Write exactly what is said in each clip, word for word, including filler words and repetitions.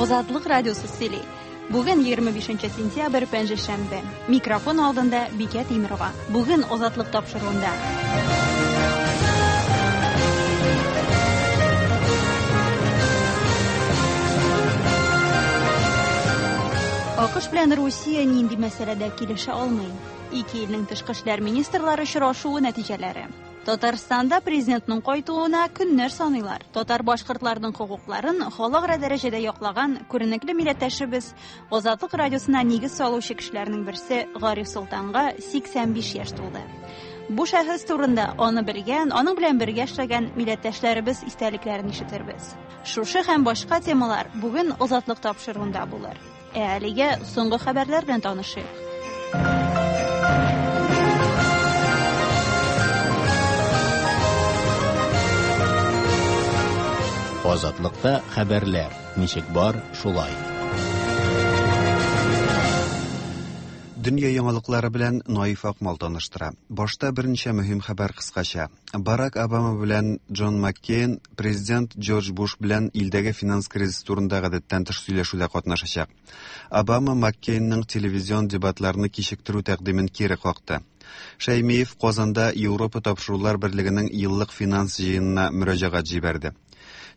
Азатлык радиосы сөйли. Бүген егерме бишенче сентябрь, пәнҗешәмбе. Микрофон алдында Бикә Тимирова. Бүген Азатлык тапшыруында. АКШ белән Русия нинди мәсьәләдә килешә алмый? Ике илнең тышкы эшләр министрлары очрашуы нәтиҗәләре. Татарстанда президентның кайтуына көннәр саныйлар. Татар башкортларының хокукларын халыкара дәрәҗәдә яклаган күренекле милләттәшебез Азатлык радиосына нигез салучы кешеләрнең берсе Гариф Солтанга сиксән биш яшь тулды. Бу шәхес турында аны белгән, аның белән бергә эшләгән милләттәшләребез истәлекләрен ишетербез. Шушы һәм башка темалар бүген Азатлык тапшыруында булыр. Ә әлегә соңгы хәбәрләр белән танышыйк. Азатлыкта хәбәрләр ничек бар, шулай. Дөнья яңалыклары белән Наиф Акмал таныштыра. Башта берничә мөһим хәбәр кыскача. Барак Обама белән Джон Маккейн президент Джордж Буш белән илдәге финанс кризисы турында гадәттән тыш сөйләшүдә катнашачак. Обама Маккейнның телевизион дебатларны кичектерү тәкъдимен кире какты. Шәймиев Казанда Европа тапшырулар берлегенең еллык финанс җыенына мөрәҗәгать җибәрде.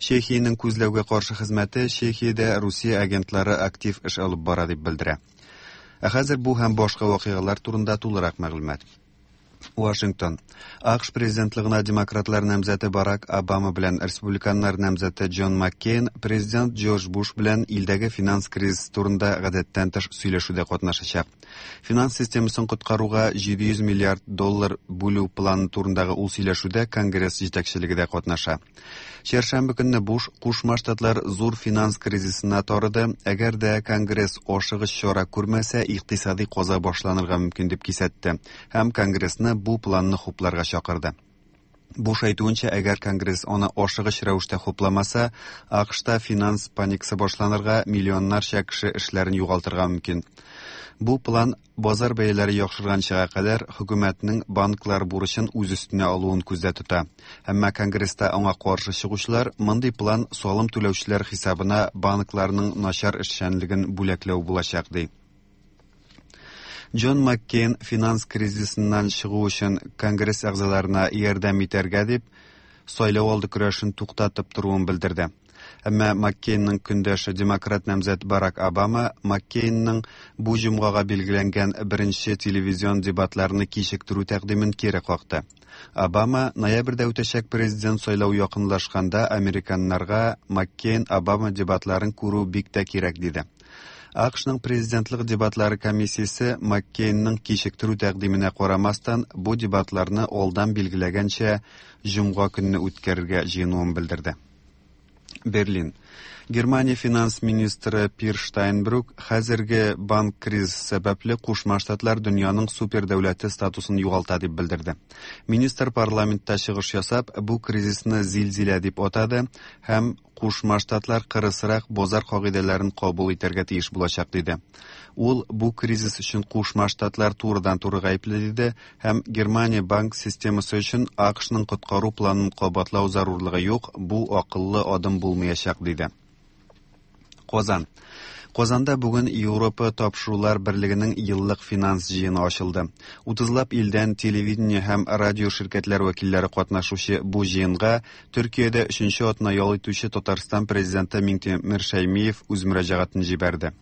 Чехиянең күзләүгә каршы хезмәте Чехиядә Русия агентлары актив эш алып бара дип белдерә. Ә хәзер бу һәм башка вакыйгалар турында тулырак мәгълүмат. Вашингтон. АКШ президентлыгына демократлар намзәте Барак Обама белән республиканнар намзәте Джон Маккейн президент Джордж Буш белән илдәге финанс кризисы турында гадәттән тыш сөйләшүдә катнашачак. Финанс системасын коткаруга җиде йөз миллиард доллар бүлү планы турындагы ул сөйләшүдә Конгресс җитәкчелеге дә катнаша. Чәршәмбе көнне Буш Кушма Штатлар зур финанс кризисына тарыды, әгәр дә Конгресс ашыгыч чара күрмәсә, икътисади каза башланырга мөмкин дип кисәтте һәм Конгрессны бу планны хупларга чакырды. Буш әйтүенчә, әгәр Конгресс аны ашыгыч рәвештә хупламаса, АКШта финанс паникасы башланырга, миллионнарча кеше эшләрен югалтырга мөмкин. Бу план базар бәяләре яхшырганчыга кадәр хөкүмәтнең банклар бурычын үз өстенә алуын күздә тота. Әмма Конгресста аңа каршы чыгучылар мондый план салым түләүчеләр хисабына банкларның начар эшчәнлеген бүләкләү булачак ди. Джон Маккейн финанс кризисыннан чыгу өчен Конгресс әгъзаларына ярдәм итәргә дип сайлау алды көрәшен туктатып торуын белдерде. Әмма Маккейнның көндәше демократ намзәт Барак Обама Маккейнның бу җомгага билгеләнгән беренче телевизион дебатларны кичектерү тәкъдимен кире какты. Обама ноябрьдә үтәчәк президент сайлау якынлашканда американнарга Маккейн-Обама дебатларын күрү бик тә кирәк диде. АКШның президентлык дебатлары комиссиясе Маккейнның кичектерү тәкъдименә карамастан бу дебатларны алдан билгеләгәнчә җомга көнне үткәрергә җыенуын белдерде. Берлин. Германия финанс министры Пир Штайнбрук хәзерге банк кризисы сәбәпле Кушма Штатлар дөньяның супердәүләте статусын югалта дип белдерде. Министр парламентта чыгыш ясап, бу кризисны зилзилә дип атады һәм Кушма Штатлар кырысрак базар кагыйдәләрен кабул итәргә тиеш булачак диде. Ул бу кризис өчен Кушма Штатлар турыдан-туры гаепле диде һәм Германия банк системасы өчен АКШның коткару планын кабатлау зарурлыгы юк, бу акыллы адым булмаячак диде. Казан. Казанда бүген Европа тапшырулар берлегенең еллык финанс җыены ачылды. Утызлап илдән телевидение һәм радио ширкәтләр вәкилләре катнашучы бу җыенга Төркиядә өченче атна ял итүче Татарстан президенты Миңтимер Шәймиев үз мөрәҗәгатен җибәрде.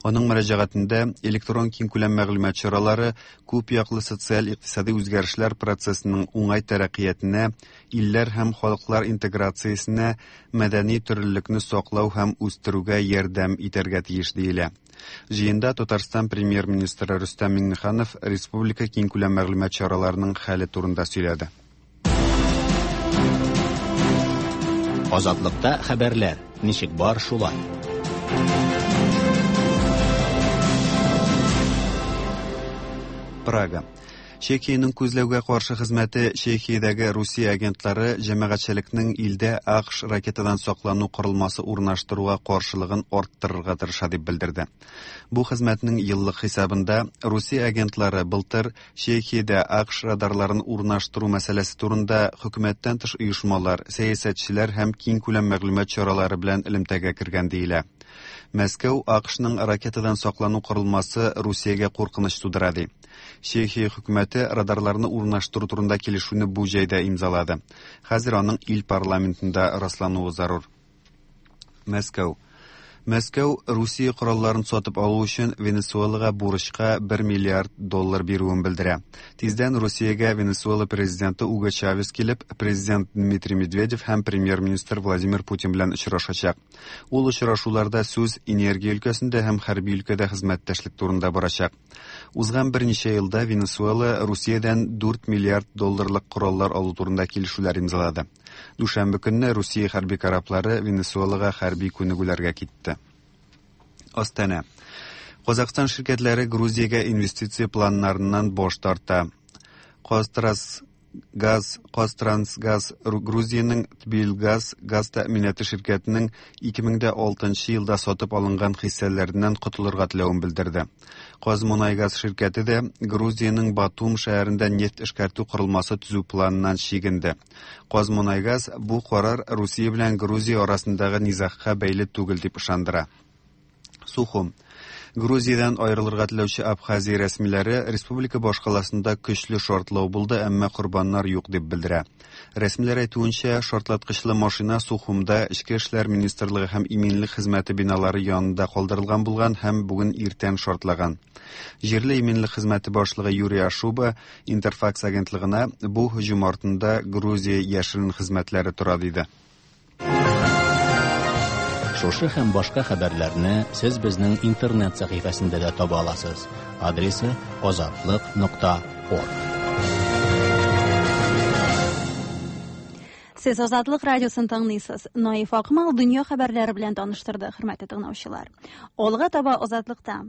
Аның мөрәҗәгатендә электрон киңкүләм мәгълүмат чаралары күп яклы социаль-икътисади үзгәрешләр процессының уңай тәрәккыятенә, илләр һәм халыклар интеграциясенә, мәдәни төрлелекне саклау һәм үстерүгә ярдәм итәргә тиеш диелә. Җыенда Татарстан премьер-министры Рөстәм Миңнеханов республика киңкүләм мәгълүмат чараларының хәле турында сөйләде. Азатлыкта хәбәрләр ничек бар, шулай. Прага. Чехиянең күзләүгә каршы хезмәте Чехиядәге Русия агентлары җәмәгатьчелекнең илдә АКШ ракетадан саклану корылмасы урнаштыруга каршылыгын арттырырга тырыша дип белдерде. Бу хезмәтнең еллык хисабында Русия агентлары былтыр Чехиядә АКШ радарларын урнаштыру мәсьәләсе турында хөкүмәттән тыш оешмалар, сәясәтчеләр һәм киңкүләм мәгълүмат чаралары белән элемтәгә кергән диелә. Мәскәү АКШның ракетадан саклану корылмасы Русиягә куркыныч тудыра ди. Чехия хөкүмәте радарларны урнаштыру турында килешүне бу җәйдә имзалады. Хәзер аның ил парламентында раслануы зарур. Мәскәү. Мәскәү Русия коралларын сатып алу өчен Венесуэлага бурычка бер миллиард доллар бирүен белдерә. Тиздән Русиягә Венесуэла президенты Уго Чавес килеп, президент Дмитрий Медведев һәм премьер-министр Владимир Путин белән очрашачак. Ул очрашуларда сүз энергия өлкәсендә һәм хәрби өлкәдә хезмәттәшлек турында барачак. Узган берничә елда Венесуэла Русиядән дүрт миллиард долларлык кораллар алу турында килешүләр имзалады. Дүшәмбе көнне Русия хәрби кораблары Венесуэлага хәрби күнегүләргә китте. Астана. Казахстан ширкәтләре Грузиягә инвестиция планнарыннан баш тарта. Казтрансгаз, Казтрансгаз Грузиянең Тбилгаз газ тәэминаты ширкәтенең ике мең дә алтынчы елда сатып алынган хиссәләреннән котылырга теләвен белдерде. Казмунайгаз ширкәте дә Грузиянең Батум шәһәрендә нефть эшкәртү корылмасы төзү планыннан чигенде. Казмунайгаз бу карар Русия белән Грузия арасындагы низагка бәйле түгел дип ышандыра. Сухум. Грузиядән аерылырга теләүче Абхазия рәсмиләре республика башкаласында көчле шартлау булды, әмма корбаннар юк дип белдерә. Рәсмиләр әйтүенчә, шартлаткычлы машина Сухумда Эчке эшләр министрлыгы һәм иминлек хезмәте биналары янында калдырылган булган һәм бүген иртән шартлаган. Җирле иминлек хезмәте башлыгы Юрий Ашуба Интерфакс агентлыгына бу һөҗүм артында Грузия яшерен хезмәтләре тора диде. Шушы һәм башка хәбәрләрне сез безнең интернет сәхифәсендә дә таба аласыз. Адресы азатлык нокта орг. Сез Азатлык радиосын тыңлыйсыз. Наиф Акмал дөнья хәбәрләре белән таныштырды, хөрмәтле тыңлаучылар. Алга таба Азатлыкта.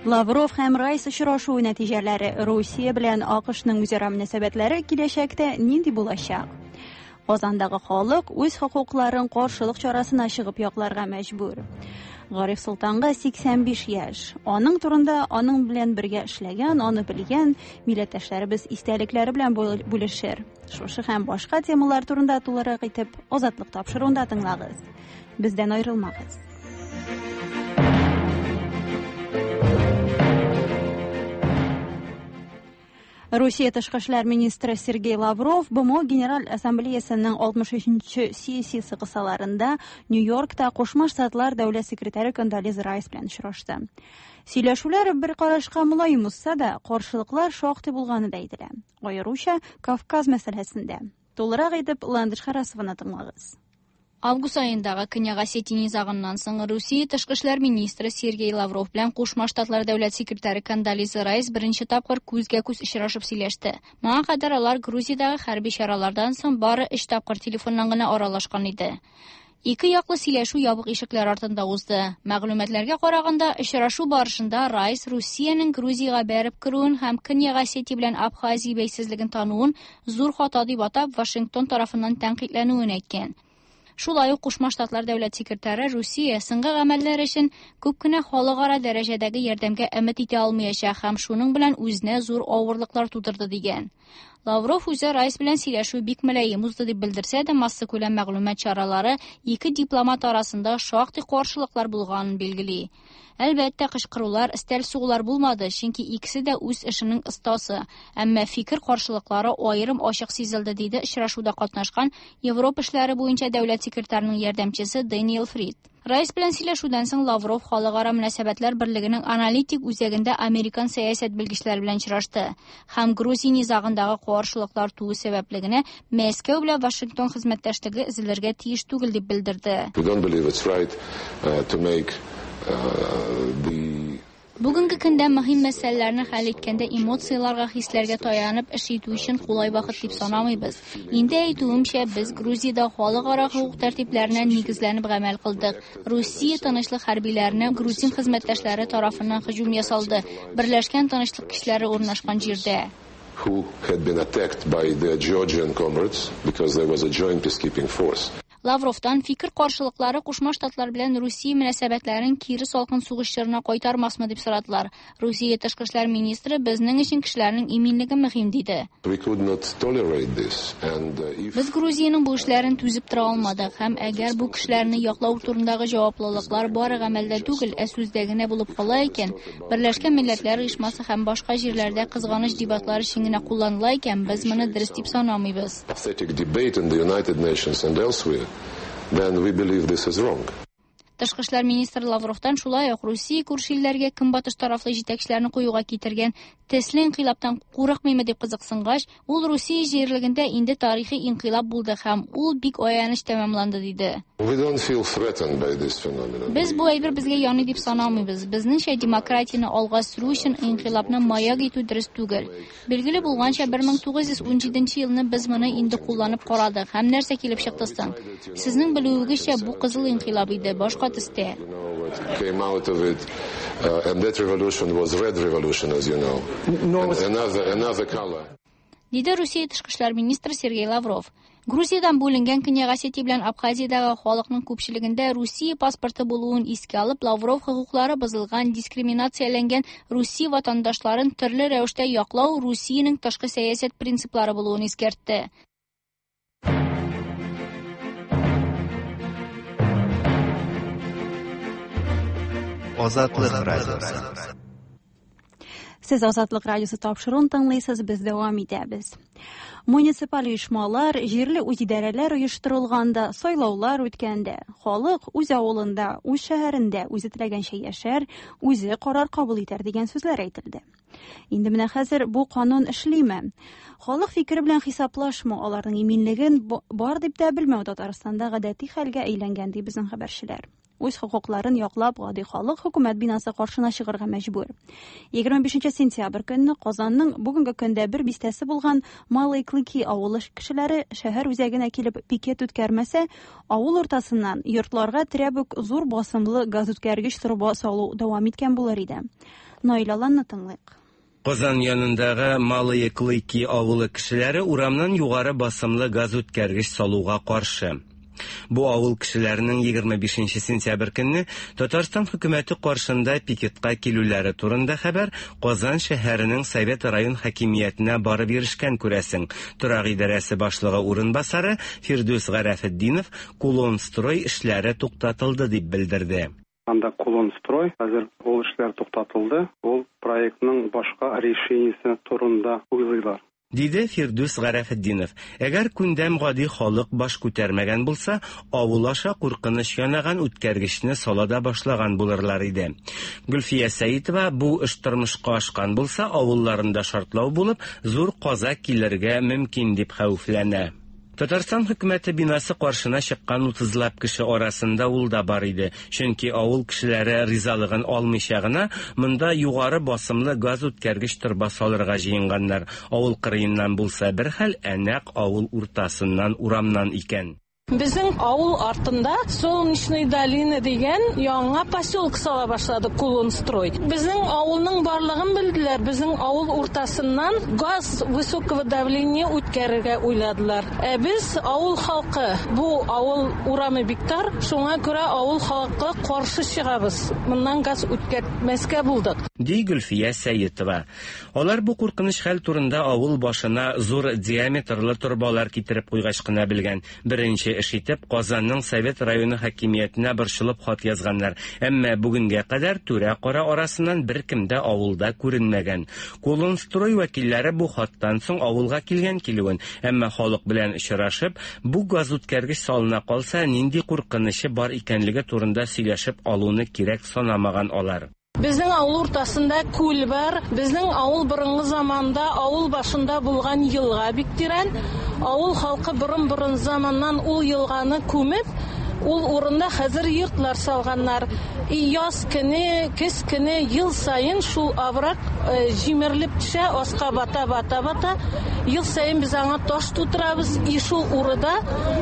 Лавров һәм Райс очрашуы нәтиҗәләре, Русия белән АКШның үзара мөнәсәбәтләре киләчәктә нинди булачак? Казандагы халык үз хокукларын каршылык чарасына чыгып якларга мәҗбүр. Гариф Солтанга сиксән биш яшь. Аның турында аның белән бергә эшләгән, аны белгән милләттәшләребез истәлекләре белән бүлешер. Шушы һәм башка темалар турында тулырак итеп Азатлык тапшыруында тыңлагыз. Бездән аерылмагыз. Русия тышкы эшләр министры Сергей Лавров БМО Генераль Ассамблеясының алтмыш өченче сессиясе кысаларында Нью-Йоркта Кушма Штатлар дәүләт секретаре Кондолиза Райс белән очрашты. Сөйләшүләр бер карашка мөлаем узса да, каршылыклар шактый булганы да әйтелә. Аеруча Кавказ мәсьәләсендә. Тулырак итеп Ландыш Харасованы тыңлагыз. Август айындагы Көньяк Осетия низагыннан соң Русия тышкы эшләр министры Сергей Лавров белән Кушма Штатлар дәүләт секретаре Кондолиза Райс беренче тапкыр күзгә-күз очрашып сөйләште. Моңа кадәр алар Грузиядагы хәрби чаралардан соң бары өч тапкыр телефоннан гына аралашкан иде. Ике яклы сөйләшү ябык ишекләр артында узды. Мәгълүматларга караганда, очрашу барышында Райс Русиянең Грузиягә бәреп керүен һәм Көньяк Осетия белән Абхазия бәйсезлеген тануын зур хата дип атап, Вашингтон тарафыннан тәнкыйтьләнүен әйткән. Шулай ук Кушма Штатлар дәүләт секретаре Русия соңгы гамәлләр өчен күп кенә халыкара дәрәҗәдәге ярдәмгә өмет итә алмаячак һәм шуның белән үзенә зур авырлыклар тудырды дигән. Лавров үзе Райс белән сөйләшү бик мөлаем узды дип белдерсә дә, массакүләм мәгълүмат чаралары ике дипломат арасында шактый каршылыклар булганын билгели. Әлбәттә, кычкырулар, өстәл сугулар булмады, чөнки икесе дә үз эшенең остасы. Әмма фикер каршылыклары аерым ачык сизелде, диде очрашуда катнашкан Европа эшләре буенча дәүләт секретарының ярдәмчесе Дэниел Фрид. Райс белән сөйләшүдән соң Лавров Халыкара мөнәсәбәтләр берлегенең аналитик үзәгендә американ сәясәт белгечләре белән очрашты һәм Грузия низагындагы каршылыклар туу сәбәпле генә Мәскәү белән Вашингтон хезмәттәшлеге өзелергә тиеш түгел дип белдерде. We don't believe it's right, uh, to make, uh, the Бүгенге көндә мөһим мәсьәләләрне хәл иткәндә эмоцияләргә, хисләргә таянып эш итү өчен кулай вакыт дип санамыйбыз. Инде әйтүемчә, без Грузиядә халыкара хукук тәртипләренә нигезләнеп гамәл кылдык. Русия тынычлык хәрбиләренә грузин хезмәттәшләре тарафыннан һөҗүм ясалды. Берләшкән тынычлык көчләре урнашкан җирдә. Who had been attacked by the Georgian comrades because there was a joint peacekeeping force. Лавровтан фикер каршылыклары Кушма Штатлар белән Русия мөнәсәбәтләрен кире салкын сугыш чорына кайтармасмы дип сорадылар. Русия тышкы эшләр министры безнең өчен кешеләрнең иминлеге мөһим диде. Без Грузиянең бу эшләрен түзеп тора алмадык һәм әгәр бу кешеләрне яклау турындагы җаваплылыклар бары гамәлдә түгел, ә сүздә генә булып кала икән, Берләшкән Милләтләр Оешмасы һәм башка җирләрдә кызганыч дебатлар өчен генә кулланыла икән, без моны дөрес дип санамыйбыз. Then we believe this is wrong. Тышкы эшләр министры Лавровтан шулай ук Русия күрше илләргә көнбатыш тарафлы җитәкчеләрне куюга китергән төсле инкыйлабтан курыкмыймы дип кызыксынгач, ул Русия җирлегендә инде тарихи инкыйлаб булды һәм ул бик аяныч тәмамланды диде. We don't feel threatened by this phenomenon. Без бу әйбер безгә яный дип санамыйбыз. Безнеңчә демократияне алга сөрү өчен инкыйлабны маяк итү дөрес түгел. Билгеле булганча, бер мең тугыз йөз унҗиденче елны без моны инде кулланып карадык һәм нәрсә килеп чыкты соң? Сезнең белүегезчә, бу кызыл инкыйлаб иде, башка төстә. Came out of it, uh, and that revolution was red revolution, as you know. And another, another color. Диде Русия тышкы эшләр министры Сергей Лавров. Грузиядан бүленгән Көньяк Осетия белән Абхазиядагы халыкның күпчелегендә Русия паспорты булуын искә алып, Лавров хокуклары бозылган, дискриминацияләнгән Русия ватандашларын төрле рәвештә яклау Русиянең тышкы сәясәт принциплары булуын искәртте. Азатлык радиосы. Сез Азатлык радиосы тапшыруын тыңлыйсыз, без дәвам итәбез. Муниципаль оешмалар, җирле үзидарәләр оештырылганда, сайлаулар үткәндә, халык үз авылында, үз шәһәрендә үзе теләгәнчә яшәр, үзе карар кабул итәр дигән сүзләр әйтелде. Инде менә хәзер бу канун эшлиме? Халык фикере белән хисаплашмау, аларның иминлеген бар дип тә белмәү Татарстанда гадәти хәлгә әйләнгән, ди безнең хәбәрчеләр. Үз хокукларын яклап, гади халык хөкүмәт бинасы каршына чыгарга мәҗбүр. егерме бишенче сентябрь көнне Казанның бүгенге көндә бер бистәсе булган Малые Клыки авылы кешеләре шәһәр үзәгенә килеп пикет үткәрмәсә, авыл уртасыннан йортларга терәп үк зур басымлы газ үткәргеч торба салу дәвам иткән булыр иде. Наил Аланны тыңлыйк. Казан янындагы Малые Клыки авылы кешеләре урамнан югары басымлы газ үткәргеч салуга каршы. Бу авыл кешеләренең егерме бишенче сентябрь көнне Татарстан хөкүмәте каршында пикетка килүләре турында хәбәр Казан шәһәренең Совет район хакимиятенә барып ирешкән күрәсең. Торак идарәсе башлыгы урынбасары Фирдүс Гарәфетдинов Кулонстрой эшләре туктатылды дип белдерде. Анда Кулонстрой хәзер ул эшләр туктатылды. Ул проектның башка решениесе турында уйлыйлар. Диде Фирдүс Гарәфетдинов. Әгәр күндәм гади халык баш күтәрмәгән булса, авыл аша куркыныч янаган үткәргечне сала да башлаган булырлар иде. Гөлфия Сәитова бу эш тормышка ашкан булса, авылларында шартлау булып, зур каза килергә мөмкин дип хәвефләнә. Татарстан хөкүмәте бинасы каршына чыккан утызлап кеше арасында ул да бар иде. Чөнки авыл кешеләре ризалыгын алмыйча гына монда югары басымлы газ үткәргеч торба салырга җыенганнар. Авыл кырыеннан булса бер хәл, ә нәкъ авыл уртасыннан урамнан икән. Безнең авыл артында Солнечный долина дигән яңа поселок сала башлады Кулонстрой. Безнең авылның барлыгын белделәр. Безнең авыл уртасыннан газ высокого давления үткәрергә уйладылар. Ә без авыл халкы, бу авыл урамы бик тар, шуңа күрә авыл халкы каршы чыгабыз. Моннан газ үткәрмәскә булдык. Ди Гөлфия Сәетова. Алар бу куркыныч хәл турында авыл башына зур диаметрлы торбалар китереп куйгач кына белгән. Беренче эш итеп Казанның Совет районы хакимиятенә борчылып хат язганнар. Әмма бүгенгә кадәр түрә-кара арасыннан беркем дә авылда күренмәгән. Кулонстрой вәкилләре бу хаттан соң авылга килгән килүен, әмма халык белән очрашып, бу газ үткәргеч салына калса, нинди куркынычы бар икәнлеге турында сөйләшеп алуны кирәк санамаган алар. Безнең авыл уртасында күл бар. Безнең авыл борынгы заманда авыл башында булган елга бик тирән. Авыл халкы борын-борын заманнан ул елганы күмеп, ул урында хәзер йортлар салганнар. И яз көне, көз көне ел саен шул аврак җимерелеп төшә, аска бата, бата, бата. Ел саен без аңа таш тутырабыз. И шул урында,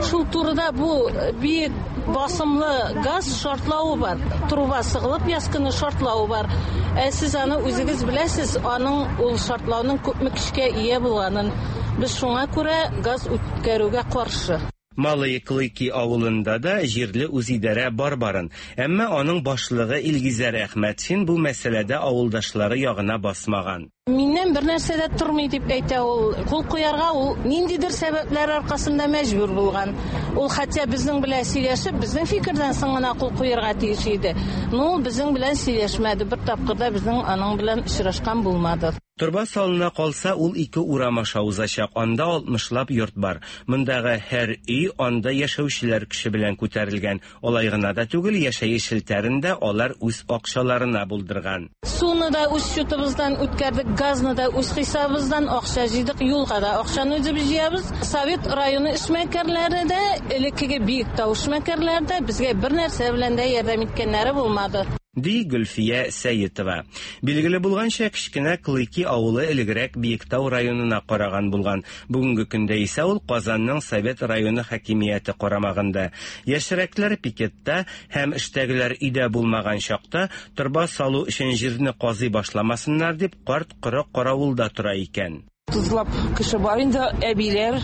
шул турыда бу бик басымлы газ шартлавы бар. Труба сыгылып яз көне шартлавы бар. Ә сез аны үзегез беләсез, аның ул шартлауның күпме көчкә ия булганын. Без шуңа күрә газ үткәрүгә каршы. Малые Клыки авылында да җирле үзидарә бар барын. Әмма аның башлыгы Илгизәр Әхмәтшин бу мәсьәләдә авылдашлары ягына басмаган. Миннән бер нәрсә дә тормый дип әйтә ул. Кул куярга ул ниндидер сәбәпләр аркасында мәҗбүр булган. Ул хәтта безнең белән сөйләшеп, безнең фикердән соң гына кул куярга тиеш иде. Но ул безнең белән сөйләшмәде. Бер тапкыр да безнең аның белән очрашкан булмады. Торба салына калса, ул ике урам аша узачак. Анда алтмышлап йорт бар. Мондагы һәр өй анда яшәүчеләр көче белән күтәрелгән. Алай гына да түгел, яшәеш челтәрен дә алар үз акчаларына булдырган. Суны да үз счетыбыздан үткәрдек, газны да үз хисабыбыздан акча җыйдык, юлга да акчаны үзебез җыябыз. Совет районы эшмәкәрләре дә, элеккеге Биектау эшмәкәрләре дә безгә бер нәрсә белән дә ярдәм иткәннәре булмады. Ди Гөлфия Сәетова. Билгеле булганча, кечкенә Клыки авылы элегрәк Биектау районына караган булган. Бүгенге көндә исә ул Казанның Совет районы хакимияте карамагында. Яшьрәкләр пикетта һәм эштәгеләр өйдә булмаган чакта торба салу өчен җирне казый башламасыннар дип карт коры каравылда тора икән. Тузлап кеше бар инде, әбиләр,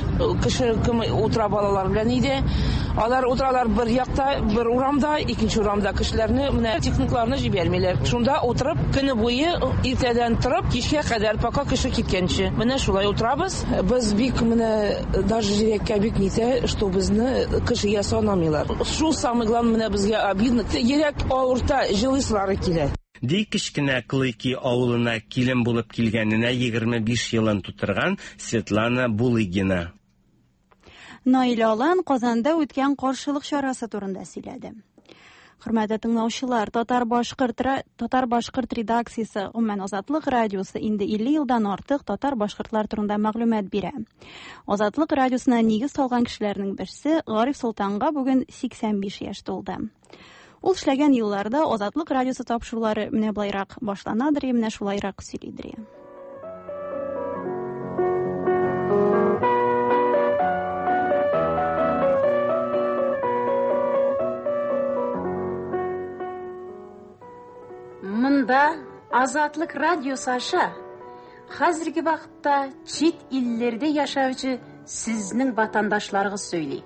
кеше кем утыра балалар белән иде. Алар утыралар бер якта, бер урамда, икенче урамда кешеләрне, менә техникларны җибәрмиләр. Шунда утырып, көне буе иртәдән торып, кичкә кадәр, пока кеше киткәнче. Менә шулай утырабыз. Без бик менә даже йөрәккә бик нитә, что безне кешегә санамыйлар. Шул самый главный менә безгә обидно. Йөрәк авырта, җылыйсылары килә. Ди кечкенә Клыки авылына килен булып килгәненә егерме биш елын тутырган Светлана Булыгина. Наил Алан Казанда үткән каршылык чарасы турында сөйләде. Хөрмәтле тыңлаучылар, Татар-башкорт Татар-башкорт редакциясе, гомумән Азатлык радиосы инде илле елдан артык татар-башкортлар турында мәгълүмат бирә. Азатлык радиосына нигез салган кешеләрнең берсе Гариф Солтанга бүген сиксән биш яшь тулды. Ул эшләгән елларда Азатлык радиосы тапшырулары менә былайрак башланадыр, менә шулайрак сөйлидер. Мында Азатлык радиосы аша хәзерге вакытта чит илләрдә яшәүче сезнең ватандашларыгыз сөйли.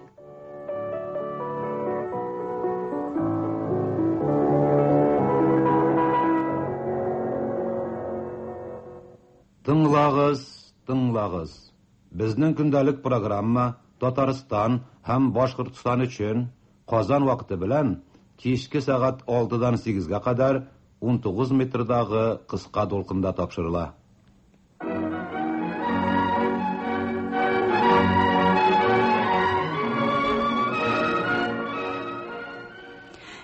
Тыңлагыз, тыңлагыз. Безнең көндәлек программа Татарстан һәм Башкортстан өчен Казан вакыты белән кичке сәгать алтыдан сигезгә кадәр ун тугыз метрдагы кыска дулкында тапшырыла.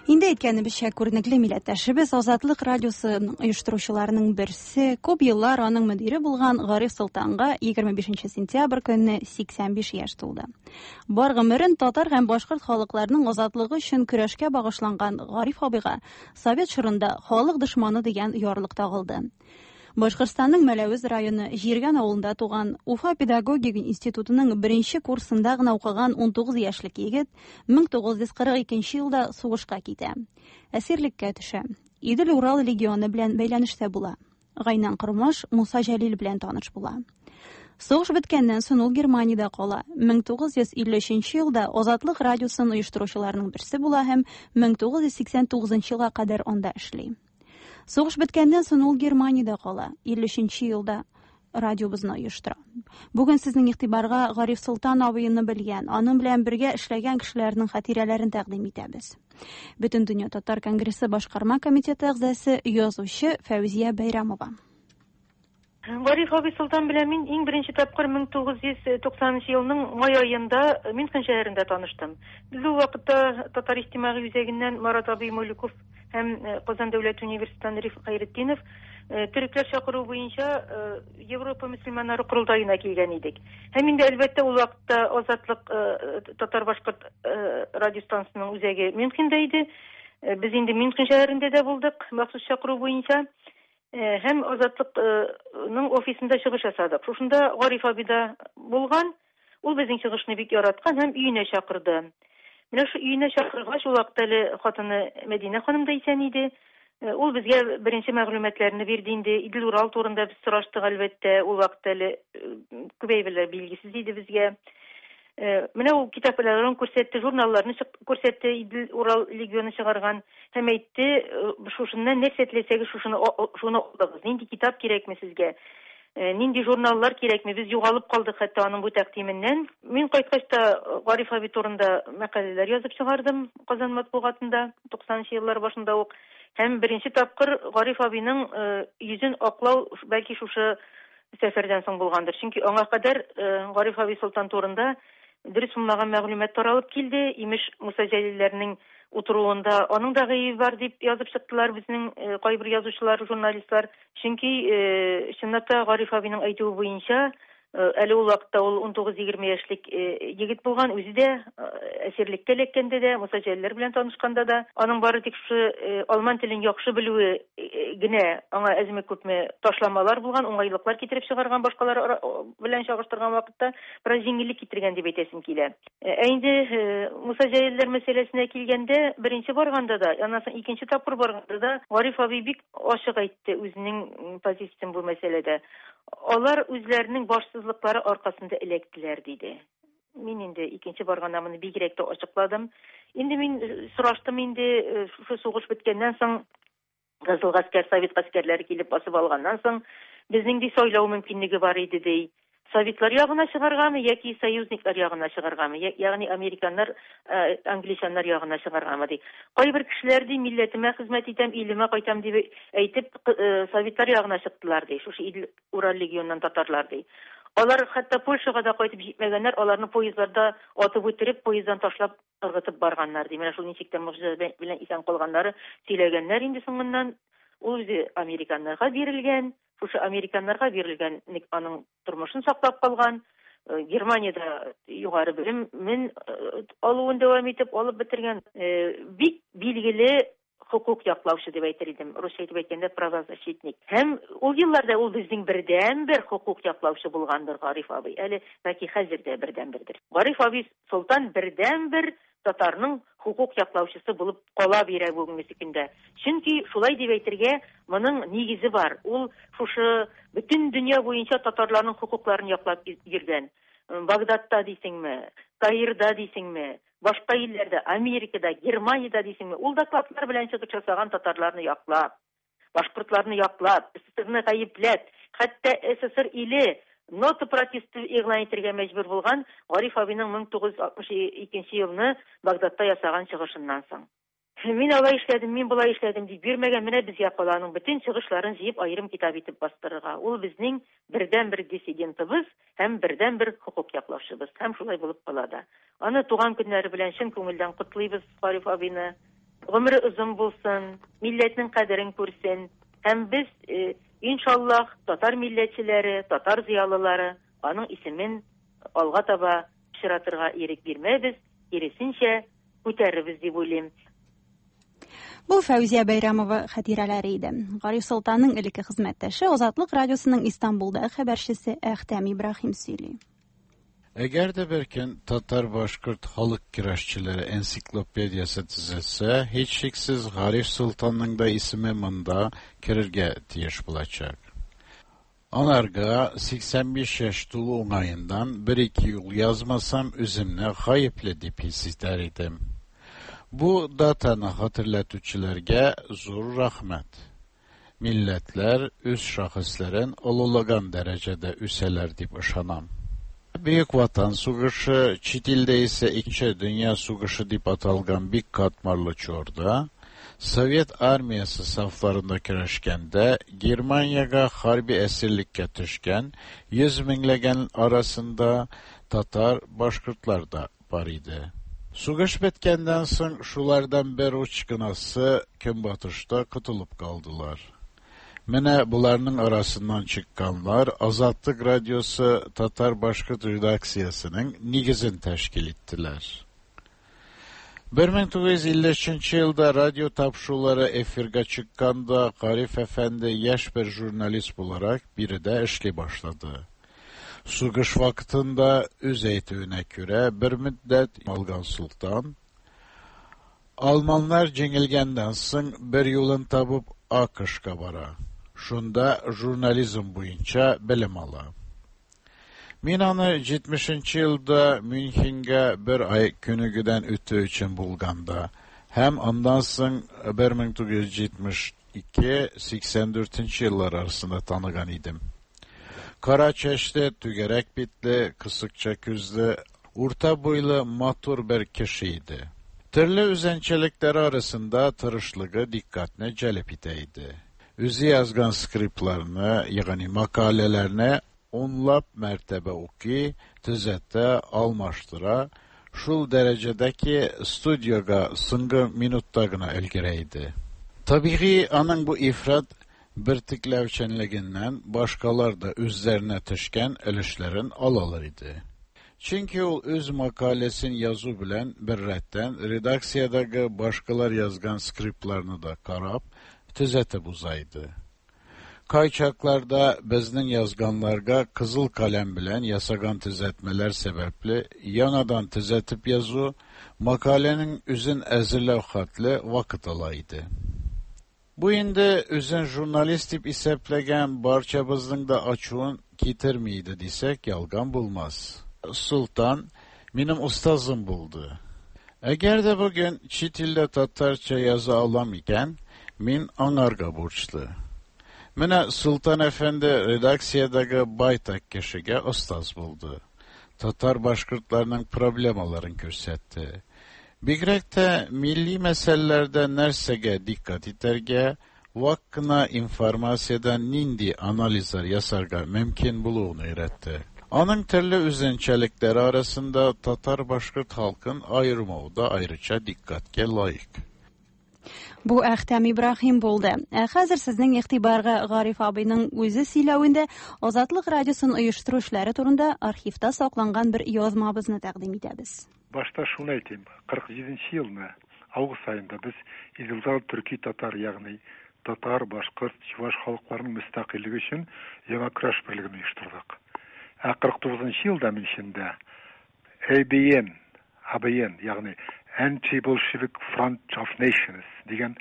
Инде әйткәнебезчә, күренекле милләттәшебез Азатлык радиосы оештыручыларының берсе, күп еллар аның мөдире булган Гариф Солтанга егерме бишенче сентябрь көнне сиксән биш яшь тулды. Бар гомерен татар һәм башкорт халыкларының азатлыгы өчен көрәшкә багышланган Гариф абыйга совет чорында халык дошманы дигән ярлык тагылды. Башкортстанның Мәләвез районы Җиргән авылында туган Уфа педагогик институтының беренче курсында гына укыган ун тугыз яшьлек егет мең тугыз йөз кырык икенче елда сугышка китә. Әсирлеккә төшә. Идел-Урал легионы белән бәйләнештә була. Гайнан Кормаш Муса Җәлил белән таныш була. Сугыш беткәннән соң ул Германиядә кала. мең тугыз йөз илле өченче елда Азатлык радиосын оештыручыларның берсе була һәм мең тугыз йөз сиксән тугызынчы елга кадәр анда эшли. Сугыш беткәннән соң ул Германиядә кала. илле өченче елда радиобызны оештыра. Бүген сезнең игътибарга Гариф Солтан абыйны белгән, аның белән бергә эшләгән кешеләрнең хатирәләрен тәкъдим итәбез. Бөтендөнья татар конгрессы башкарма комитеты әгъзасы, язучы Фәүзия Бәйрәмова. Гариф абый Солтан белән мин иң беренче тапкыр мең тугыз йөз туксанынчы елның май аенда Мюнхен шәһәрендә таныштым. Без ул вакытта Татар иҗтимагый үзәгеннән Марат абый Мулюков һәм Казан дәүләт университетыннан Риф Хәйретдинов төрекләр чакыру буенча Европа мөселманнары корылтаена килгән идек. Һәм инде әлбәттә ул вакытта Азатлык татар-башкорт радиостанциясының үзәге Мюнхенда иде. Без инде Мюнхен шәһәрендә дә булдык махсус чакыру буенча. Һәм Азатлыкның офисында чыгыш ясадык. Шушында Гариф абый да булган. Ул безнең чыгышны бик яраткан һәм өенә чакырды. Менә шу өенә чакыргач, ул вакытта әле хатыны Мәдинә ханым да исән иде. Ул безгә беренче мәгълүматларны бирде инде. Идел-Урал турында без сораштык әлбәттә. Ул вакытта әле күп әйберләр билгесез иде безгә. Менә ул китапларын күрсәтте, журналларны күрсәтте, Идел Урал легионы чыгарган һәм әйтте, шушыннан нәрсә теләсәгез, шушыны шуны алыгыз. Нинди китап кирәкме сезгә? Нинди журналлар кирәкме? Без югалып калдык хәтта аның бу тәкъдименнән. Мин кайткач та Гариф абый турында мәкаләләр язып чыгардым Казан матбугатында туксанынчы еллар башында ук. Һәм беренче тапкыр Гариф абыйның йөзен аклау бәлки шушы сәфәрдән соң булгандыр. Чөнки аңа кадәр Гариф абый Солтан турында дөрес булмаган мәгълүмат таралып килде. Имеш, Муса Җәлилләрнең утыруында аның да гаебе бар дип язып чыктылар безнең кайбер язучылар, журналистлар. Чөнки чынлап та Гариф абыйның әйтүе буенча, әле ул вакытта ул ун тугыз егерме яшьлек егет булган, үзе дә әсирлеккә эләккәндә дә, Муса Җәлилләр белән танышканда да, аның бары тик шушы алман телен яхшы белүе генә аңа әзме-күпме ташламалар булган, уңайлыклар китереп чыгарган башкалар белән чагыштырган вакытта бераз җиңеллек китергән дип әйтәсем килә. Ә инде Муса Җәлилләр мәсьәләсенә килгәндә, беренче барганда да, аннан соң икенче тапкыр барганда да Гариф абый бик ачык әйтте үзенең позициясен бу мәсьәләдә. Алар үзләренең башсызлыклары аркасында эләктеләр, диде. Мин инде икенче барганда моны бигрәк тә ачыкладым. Инде мин сораштым инде, шушы сугыш беткәннән соң, Кызыл гаскәр, совет гаскәрләре килеп басып алганнан соң, безнең ди сайлау мөмкинлеге бар иде, ди. Советлар ягына чыгаргамы яки союзниклар ягына чыгаргамы, ягъни американнар, англичаннар ягына чыгаргамы, ди. Кайбер кешеләр ди, милләтемә хезмәт итәм, илемә кайтам дип әйтеп, советлар ягына чыктылар, ди. Шушы Идел Урал легионыннан татарлар, ди. Алар хәтта Польшага да кайтып җитмәгәннәр, аларны поездларда атып үтереп, поезддан ташлап ыргытып барганнар, ди. Менә шул ничек тә могҗиза белән исән калганнары сөйләгәннәр инде соңыннан. Ул үзе американнарга бирелгән, шушы американнарга бирелгән аның тормышын саклап калган, Германиядә югары белемен алуын дәвам итеп алып бетергән, бик билгеле хукук яклаучы дип әйтер идем, русча әйтеп әйткәндә правозащитник. Һәм ул елларда ул безнең бердәнбер хукук яклаучы булгандыр Гариф абый. Әле бәлки хәзер дә бердәнбердер. Гариф абый Солтан бердәнбер татарның хукук яклаучысы булып кала бирә бүгенге көндә. Чөнки шулай дип әйтергә моның нигезе бар. Ул шушы бөтен дөнья буенча татарларның хукукларын яклап йөргән. Багдадта дисеңме, Каирда дисеңме, башка илләрдә, Америкада, Германиядә дисеңме, ул докладлар белән чыгып ясаган татарларны яклап, башкортларны яклап, СССРны гаепләп, хәтта СССР иле нота протесты игълан итәргә мәҗбүр булган Гариф абыйның мең тугыз йөз алтмыш икенче елны Багдадта ясаган чыгышыннан соң. Мин алай эшләдем, мин болай эшләдем дип бирмәгән, менә безгә кала аның бөтен чыгышларын җыеп аерым китап итеп бастырырга. Ул безнең бердәнбер диссидентыбыз һәм бердәнбер хукук яклаучыбыз. Һәм шулай булып кала да. Аны туган көннәре белән чын күңелдән котлыйбыз Гариф абыйны. Гомере озын булсын, милләтнең кадерен күрсен. Һәм без, иншаллах, татар милләтчеләре, татар зыялылары аның исемен алга таба пычратырга ирек бирмәбез, киресенчә күтәрербез дип уйлыйм. Бу Фәүзия Бәйрәмова хатирәләре иде. Гариф Солтанның элекке хезмәттәше Азатлык радиосының Истанбулда хәбәрчесе Әхтәм Ибраһим сөйли. Әгәр дә бер көн татар-башкорт халык көрәшчеләре энциклопедиясе төзелсә, һичшиксез Гариф Солтанның да исеме монда керергә тиеш булачак. Анарга сиксән биш яшь тулу уңаендан бер-ике юл язмасам, үземне гаепле дип хис итәр идем. Бу датаны хәтерләтүчеләргә зур рәхмәт. Милләтләр үз шәхесләрен олулаган дәрәҗәдә үсәләр дип ышанам. Büyük Vatan Сугышы, чит илдә исә Икенче Дөнья сугышы дип аталган бик катмарлы чорда Совет армиясы сафларында көрәшкәндә Германиягә хәрби әсирлеккә төшкән йөз меңләгән арасында татар, башкортлар да бар иде. Сугыш беткәннән соң шулардан бер уч кынасы көнбатышта котылып калдылар. Менә буларның арасыннан чыкканлар Азатлык радиосы татар-башкорт редакциясенең нигезен тәшкил иттеләр. бер мең тугыз йөз илле өченче елда радио тапшырулары эфиргә чыкканда Гариф әфәнде яшь бер журналист буларак биредә эшли башлады. Сугыш вакытында үз әйтүенә күрә бер мөддәт алган Солтан, Алманнар җиңелгәннән соң бер юлын табып АКШка бара. Шунда журнализм буенча белем ала. Мин аны җитмешенче елда Мюнхенга бер ай күнегүдән үтү өчен булганда һәм аннан соң бер мең тугыз йөз җитмеш ике сиксән дүртенче еллар арасында таныган идем. Кара чәчле, түгәрәк битле, кысыкча күзле, урта буйлы матур бер кеше иде. Төрле үзенчәлекләре арасында тырышлыгы диккәтне җәлеп итә иде. Үзе язган скриптларны, ягъни мәкаләләрне унлап мәртәбә укый, төзәтә, алмаштыра, шул дәрәҗәдә ки студиога соңгы минутта гына өлгерә иде. Табигый, аның бу ифрат бертекләүчәнлегеннән башкалар да үзләренә төшкән өлешләрен алалар иде. Чөнки ул үз мәкаләсен язу белән бер рәттән редакциядәге башкалар язган скриптларны да карап, төзәтеп уза иде. Кайчакларда безнең язганнарга кызыл каләм белән ясаган төзәтмәләр сәбәпле яңадан төзәтеп язу мәкаләнең үзен әзерләү хәтле вакыт ала иде. Бу инде үзен журналист дип исәпләгән барчабызның да ачуын китерми иде дисәк, ялган булмас. Султан минем остазым булды. Әгәр дә бүген чит илдә татарча яза алам икән, мин аңарга бурычлы. Менә Султан әфәнде редакциядәге байтак кешегә остаз булды. Татар башкортларының проблемаларын күрсәтте. Бигрәк тә милли мәсьәләләрдә нәрсәгә диккать итәргә, вак кына информациядән нинди анализлар ясарга мөмкин булуын өйрәтте. Аның төрле үзенчәлекләре арасында татар-башкорт халкын аермау да аеруча диккатькә лаек. Бу Әхтәм Ибраһим булды. Ә хәзер сезнең игътибарга Гариф абыйның үзе сөйләвендә Азатлык радиосын оештыру эшләре турында архивта сакланган бер язмабызны тәкъдим итәбез. Башта шуны әйтим, кырык җиденче елны август аенда без Идел төрки татар, ягъни татар, башкорт, чуваш халыкларының мөстәкыйльлеге өчен яңа көрәш берлеген оештырдык. Ә кырык тугызынчы елда Мюнхенда А Б Н, А Б Н, ягъни Anti-Bolshevik Front of Nations дигән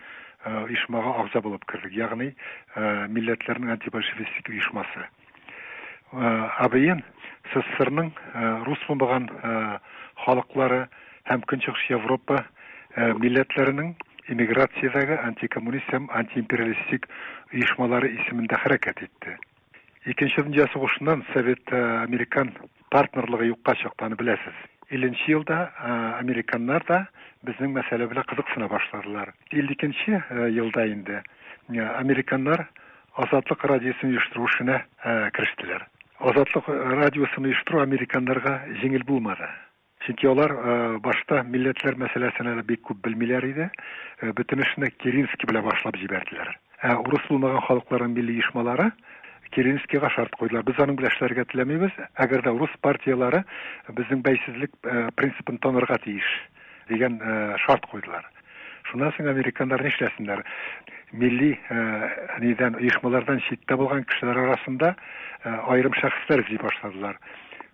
оешмага агъза булып кердек, ягъни милләтләрнең антибольшевистик оешмасы. А Б Н СССРның рус булмаган халыклары һәм Көнчыгыш Европа милләтләренең эмиграциядәге антикоммунист һәм антиимпериалистик оешмалары исемендә хәрәкәт итте. Икенче дөнья сугышыннан совет-американ партнерлыгы юкка чыкты, аны беләсез. Илленче елда американнар да безнең мәсьәлә белән кызыксына башладылар. Илле икенче елда инде американнар Азатлык радиосын оештыру эшенә керештеләр. Азатлык радиосын оештыру американнарга җиңел булмады. Чөнки алар башта милләтләр мәсьәләсен әле бик күп белмиләр иде. Бөтен эшне Керенский белән башлап җибәрделәр. Ә урыс булмаган халыкларның милли оешмалары Керенскийга шарт куйдылар. Без аның белән эшләргә теләмибез, әгәр дә урыс партиялары безнең бәйсезлек принципын танырга тиеш дигән шарт куйдылар. Шуннан соң американнар нишләсеннәр? Милли нидән оешмалардан читтә булган кешеләр арасында аерым шәхесләр эзли башладылар.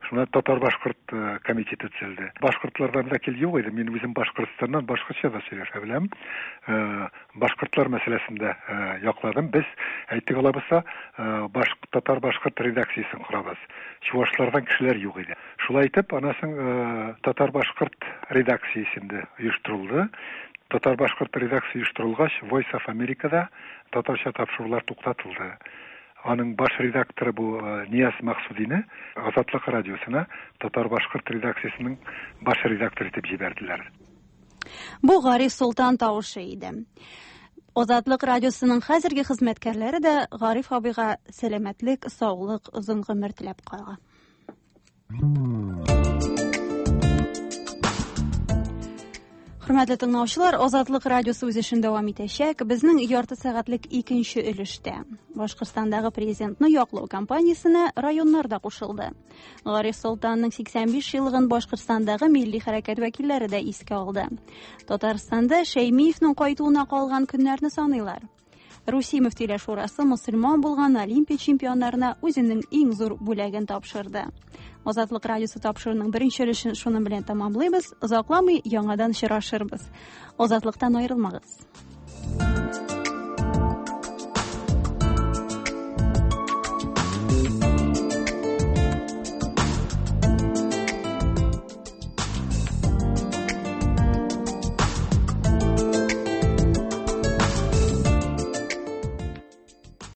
Шуннан татар-башкорт комитеты төзелде. Башкортлардан вәкил юк иде. Мин үзем Башкортстаннан башкортча да сөйләшә беләм. Башкортлар мәсьәләсендә якладым. Без әйтик алабызса, татар-башкорт редакциясен корабыз. Чувашлардан кешеләр юк иде. Шулай итеп, анасын татар-башкорт редакциясендә оештырылды. Татар-башкорт редакция оештырылгач, Voice of America-да татарча тапшырулар туктатылды. Аның баш редакторы бу Нияз Максудины Азатлык радиосына татар-башкорт редакциясенең баш редакторы итеп җибәрделәр. Бу Гариф Солтан тавышы иде. Азатлык радиосының хәзерге хезмәткәрләре дә Гариф абыйга сәламәтлек, саулык, озын гомер теләп кала. Хөрмәтле тыңлаучылар, Азатлык радиосы үз эшен дәвам итәчәк. Безнең ярты сәгатьлек икенче өлештә Башкортстандагы президентны яклау кампаниясенә районнар да кушылды. Гариф Солтанның сиксән биш еллыгын Башкортстандагы милли хәрәкәт вәкилләре дә искә алды. Татарстанда Шәймиевның кайтуына калган көннәрне саныйлар. Русия Мөфтиләр Шурасы мөселман булган Олимпия чемпионнарына үзенең иң зур бүләген тапшырды. Азатлык радиосы тапшыруының беренче өлешен шуның белән тәмамлыйбыз. Озакламый яңадан очрашырбыз. Азатлыктан аерылмагыз.